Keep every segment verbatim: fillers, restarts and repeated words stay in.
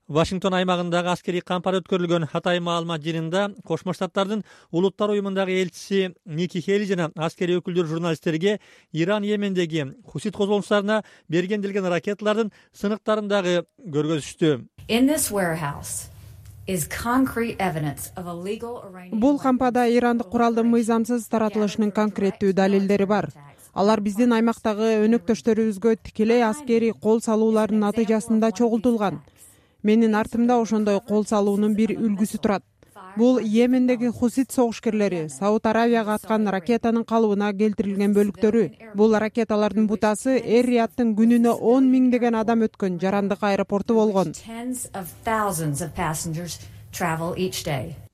Вашингтон аймагындагы аскерий кампар өткөрүлгөн атайын маалымат жыйынында Кошмо Штаттардын Улуттар уюмундагы элчиси Ники Хейли жана аскерий өкүлдөр журналисттерге Иран Йемендеги хусит козголуңчуларына бергенделген ракеталардын сыныктарын көргөзүштү. Бул кампада ирандык куралдын мыйзамсыз таратылышынын конкреттүү далилдери бар. Алар биздин аймактагы өнөктөштөрүбүзгө тикелей аскерий кол салуулардын натыйжасында чогултулган. Менин артымда ошондой кол салуунун бир үлгүсү турат. Бул Йемендеги хусит согушкерлери Сауд Аравияга аткан ракетанын калыбына келтирилген бөлүктөрү. Бул ракеталардын бутасы Эр-Рияттын күнүнө он миңдеген адам өткөн жарандык аэропорту болгон.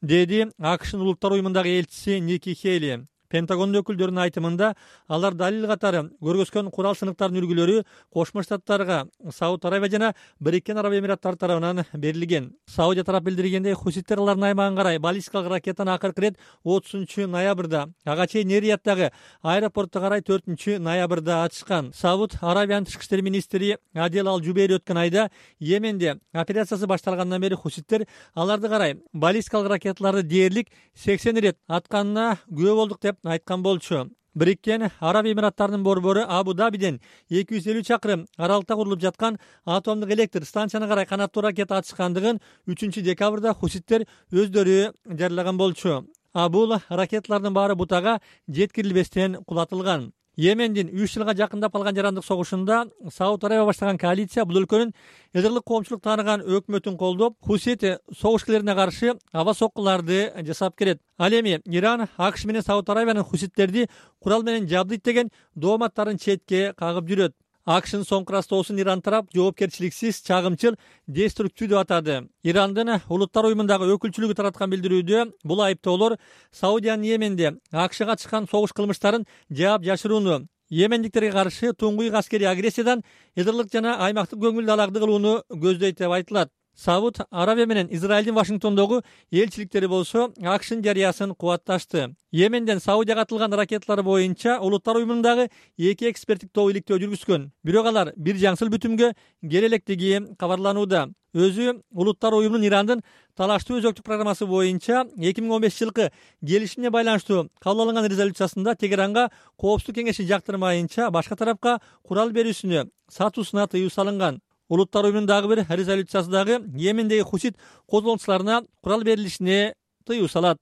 Деди АКШнын Улуттар уюмундагы элчиси Ники Хейли. Пентагондун өкүлдөрүнүн айтымында алар далил катары көргөзгөн курал сыныктарынын үлгүлөрү Кошмо Штаттарга Сауд Аравия жана Бириккен Араб Эмираттары тарабынан берилген. Саудия тарап билдиргендей, хуситтер алардын аймагына карай баллистикалык ракетаны акыркы ирет отузунчу ноябрда, ага чейин Эр-Рияттагы аэропортто карай төртүнчү ноябрда ачышкан. Сауд Аравиянын тышкы иштер министри Адел Ал-Жубейри өткөн айда Йеменде операциясы башталгандан бери хуситтер аларды карай баллистикалык ракеталарды дээрлик сексен ирет атканына күбө болдук деп айткан болчу. Бириккен Араб Эмираттарынын борбору Абу-Дабиден эки жүз элүү чакырым аралыкта курулуп жаткан атомдук электр станциясына карай канаттуу ракета ачышкандыгын үчүнчү декабрда хуситтер өздөрү жарыялаган болчу. А бул ракеталардын баары бутага жеткирилбестен кулатылган. Йемендин үч жылга жакындап калган жарандык согушунда Сауд Аравия баштаган коалиция бул өлкөнүн эдирлик коомчулук тааныган өкмөтүн колдоп, хусит согушкерлерине каршы аба соккуларды жасап келет. Ал эми Иран АКШ менен Сауд Аравиянын хуситтерди курал менен жабдыйт деген дооматтарын четке кагып жүрөт. АКШнын соңку ырастоосун Иран тарап жоопкерчиликсиз, чагымчыл, деструктивдүү деп атады. Ирандын Улуттар уюмундагы өкүлчүлүгү тараткан билдирүүдө бул айыптоолор Саудиянын Йеменде АКШга чыккан согуш кылмыштарын жаап жашырууну, йемендиктерге каршы туңгуйук аскерий агрессиядан эдирлик жана аймактык көңүл далагды кылууну көздөйт деп айтылат. Сауд Аравия менен Израилдин Вашингтондогу элчиликтери болсо АКШнын жарыясын кубатташты. Йеменден Саудияга атылган ракеталар боюнча Улуттар уюмундагы эки эксперттик топ иликтөө жүргүзгөн. Бирок алар бир жаңсыл бүтүмгө келе электиги кабарланууда. Өзү Улуттар уюмунун Ирандын талаштуу өзөктүк программасы боюнча эки миң он бешинчи жылкы келишимге байланыштуу кабыл алынган резолюциясында Тегеранга Коопсуздук кеңеши жактырмайынча башка тарапка курал берүүсүнө, сатуусуна тыюу салынган. Улуттар уюмунун дагы бир резолюциясы дагы Йемендеги хусит козголуңчуларына курал берилишине тыюу салат.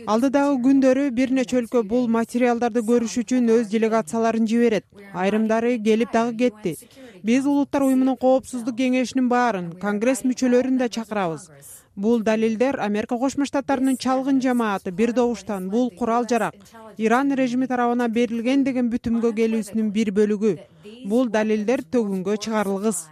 Алдыдагы күндөрү бир нече өлкө бул материалдарды көрүш үчүн өз делегацияларын жиберет. Айрымдары келип дагы кетти. Биз Улуттар уюмунун Коопсуздук кеңешинин баарын, Конгресс мүчөлөрүн да чакырабыз. Бул далилдер Америка Кошмо Штаттарынын чалгын жамааты бир добуштан бул курал жарак Иран режими тарабынан берилген деген бүтүмгө келүүсүнүн бир бөлүгү. Бул далилдер төгүнгө чыгарылгыс.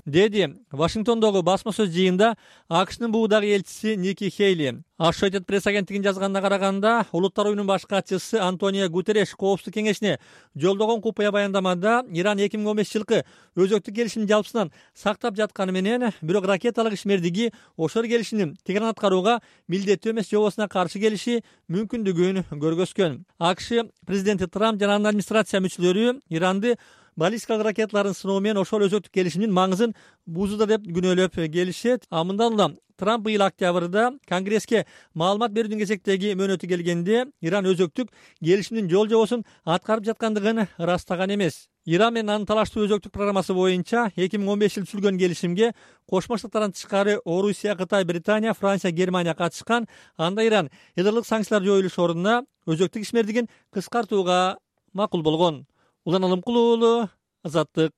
Деди Вашингтондогу басма сөз жыйында АКШнын буудагы элчиси Ники Хейли. Associated Press агенттигинин жазганына караганда, Улуттар уюмунун баш катчысы Антонио Гутерреш Коопсуздук кеңешине жолдогон купуя баяндамада Иран эки миң он бешинчи жылкы өзөктүк келишимин жалпысынан сактап жатканы менен, бирок ракеталык ишмердиги ошол келишимдин Тегеран аткарууга милдеттүү эмес жобосуна каршы келиши мүмкүндүгүн көргөзгөн. АКШ президенти Трамп жана анын администрация мүчөлөрү Иранды баллистикалык ракеталарын сыноо менен ошол өзөктүк келишимдин маңызын бузууда деп күнөөлөп келишет. А мындан улам Трамп быйыл октябрда Конгресске маалымат берүүдүн кезектеги мөөнөтү келгенде Иран өзөктүк келишимдин жол жобосун аткарып жаткандыгын ырастаган эмес. Иран менен анын талаштуу өзөктүк программасы боюнча эки миң он бешинчи жылы түзүлгөн келишимге Кошмо Штаттардан тышкары Орусия, Кытай, Британия, Франция, Германия катышкан. Анда Иран эдирлик санкциялар жоюлуш ордуна өзөктүк ишмердигин кыскартууга макул болгон. Улан Алымкулуу, Азаттык.